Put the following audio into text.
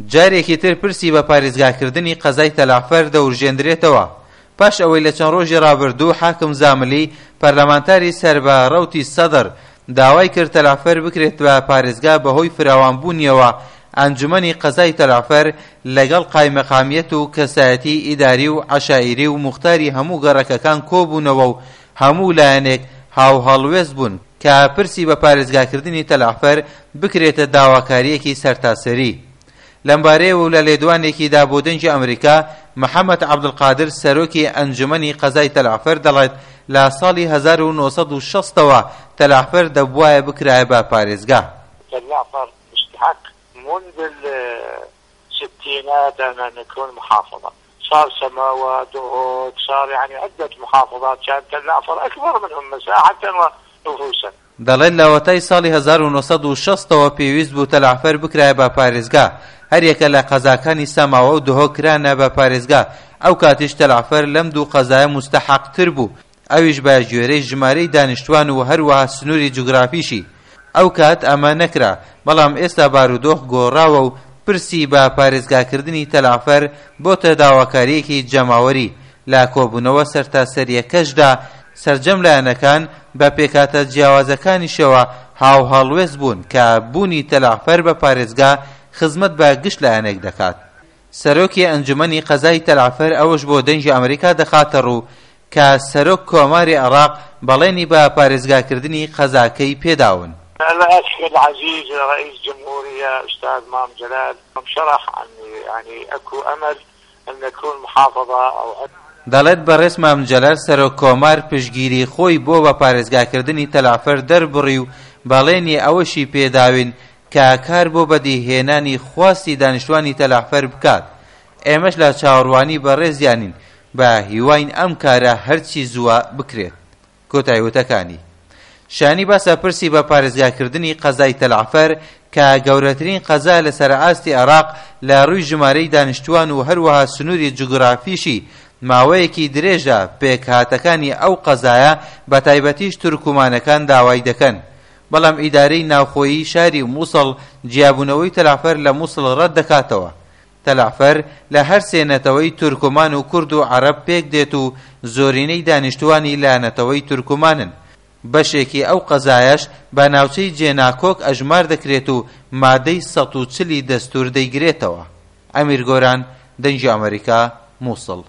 جارێکی تر پرسی بە پارێزگاکردنی قەزای تەلەعفەر دەورژێندرێتەوە پاش ئەوەی لە چەند ڕۆژی ڕابردوو حاکم زاملی پەرلەمانتاری سەر بە ڕەوتی سەدر داوای کرد تەلەعفەر بکرێت بە پارێزگا بەهۆی فراوانبوونیەوە ئەنجومەنی قەزای تەلەعفەر لەگەڵ قایمەقامیەت و کەسایەتی ئیداری و عەشایری و موختاری هەموو گەڕەکەکان کۆبوونەوە و هەموو لایەنێک هاوهەڵوێست بوون کە پرسی بە پارێزگاکردنی تەلەعفەر بکرێتە داواکارییەکی سەرتاسەری. لەمبارەیەوە و لە لێدوانێکیدا بۆ دەنگی ئەمریکا، محەمەد عەبدولقادر سەرۆکی ئەنجومەنی قەزای تەلەعفەر دەڵێت لە ساڵی 1960 ەوە تەلەعفەر دەبوایە بکرایە بە پارێزگا. تەلەعفەر مستحق منذ الستينات أن نكون محافظة صار سماوة دهوك صار يعني عدة محافظات كان تلعفر أكبر منهم مساحة ونفوسا. دەڵێت لەوەتای ساڵی 1960 ەوە پێویست بوو تەلەعفەر بکرایە بە پارێزگا، هەریەکە لە قەزاکانی سەماوە و دهۆک کرانە بە پارێزگا، ئەوکاتیش تەلەعفەر لەم دوو قەزایە موستەحەقتر بوو، ئەویش بە گوێرەی ژمارەی دانیشتوان و هەروەها سنووری جوگرافیشی. ئەو کات ئەمە نەکرا، بەڵام ئێستا بارودۆخ گۆڕاوە و پرسی بە پارێزگاکردنی تەلەعفەر بۆتە داواکارییەکی جەماوەری. لە کۆبوونەوە سەرتاسەرییەکەشدا سەرجەم لایەنەکان بە پێکهاتە جیاوازەکانیشەوە هاوهەڵوێست بوون کە بوونی تەلەعفەر بە پارێزگا خزمەت بە گشت لایەنێک دەکات. سەرۆکی ئەنجومەنی قەزای تەلعەفەر ئەوەش بۆ دەنگی ئەمریکا دەخاتەڕوو کە سەرۆک کۆماری عێراق بەڵێنی بە پارێزگاکردنی قەزاکەی پێداون. الأخ العزيز رئيس جمهورية أستاذ مام جلال شرح عن يعني أكو أمل أن نكون محافظة أو. دەڵێت بەڕێز مام جەلال سەرۆک کۆمار پشتگیری خۆی بۆ بە پارێزگاکردنی تەلعەفەر دەربڕی و بەڵێنی ئەوەشی پێداوین کە کار بۆ بەدیهێنانی خواستی دانیشتوانی تەلەعفەر بکات، ئێمەش لە چاوەڕوانی بەڕێزیانین، بە هیواین ئەم کارە هەرچی زووە بکرێت. کۆتای وتەکانی. شایانی باسە پرسی بە پارێزگاکردنی قەزای تەلەعفەر کە گەورەترین قەزا لەسەر ئاستی عێراق لە ڕووی ژمارەی دانیشتووان و هەروەها سنووری جوگرافیشی ماوەیەکی درێژە پێکهاتەکانی ئەو قەزایە بەتایبەتیش تورکومانەکان داوای دەکەن بەڵام ئیدارەی ناوخۆیی شاری موسڵ جیابوونەوەی تەلەعفەر لە موسڵ ڕەت دەکاتەوە. تەلەعفەر لە هەرسێ نەتەوەی تورکمان و کورد و عەرەب پێک دێت و زۆرینەی دانیشتووانی لە نەتەوەی تورکمانن. بەشێکی ئەو قەزایەش بە ناوچەی جێناکۆک ئەژمار دەکرێت و مادەی 140 ی دەستوور دەیگرێتەوە. ئەمیر گۆران، دەنگی ئەمەریکا، موسڵ.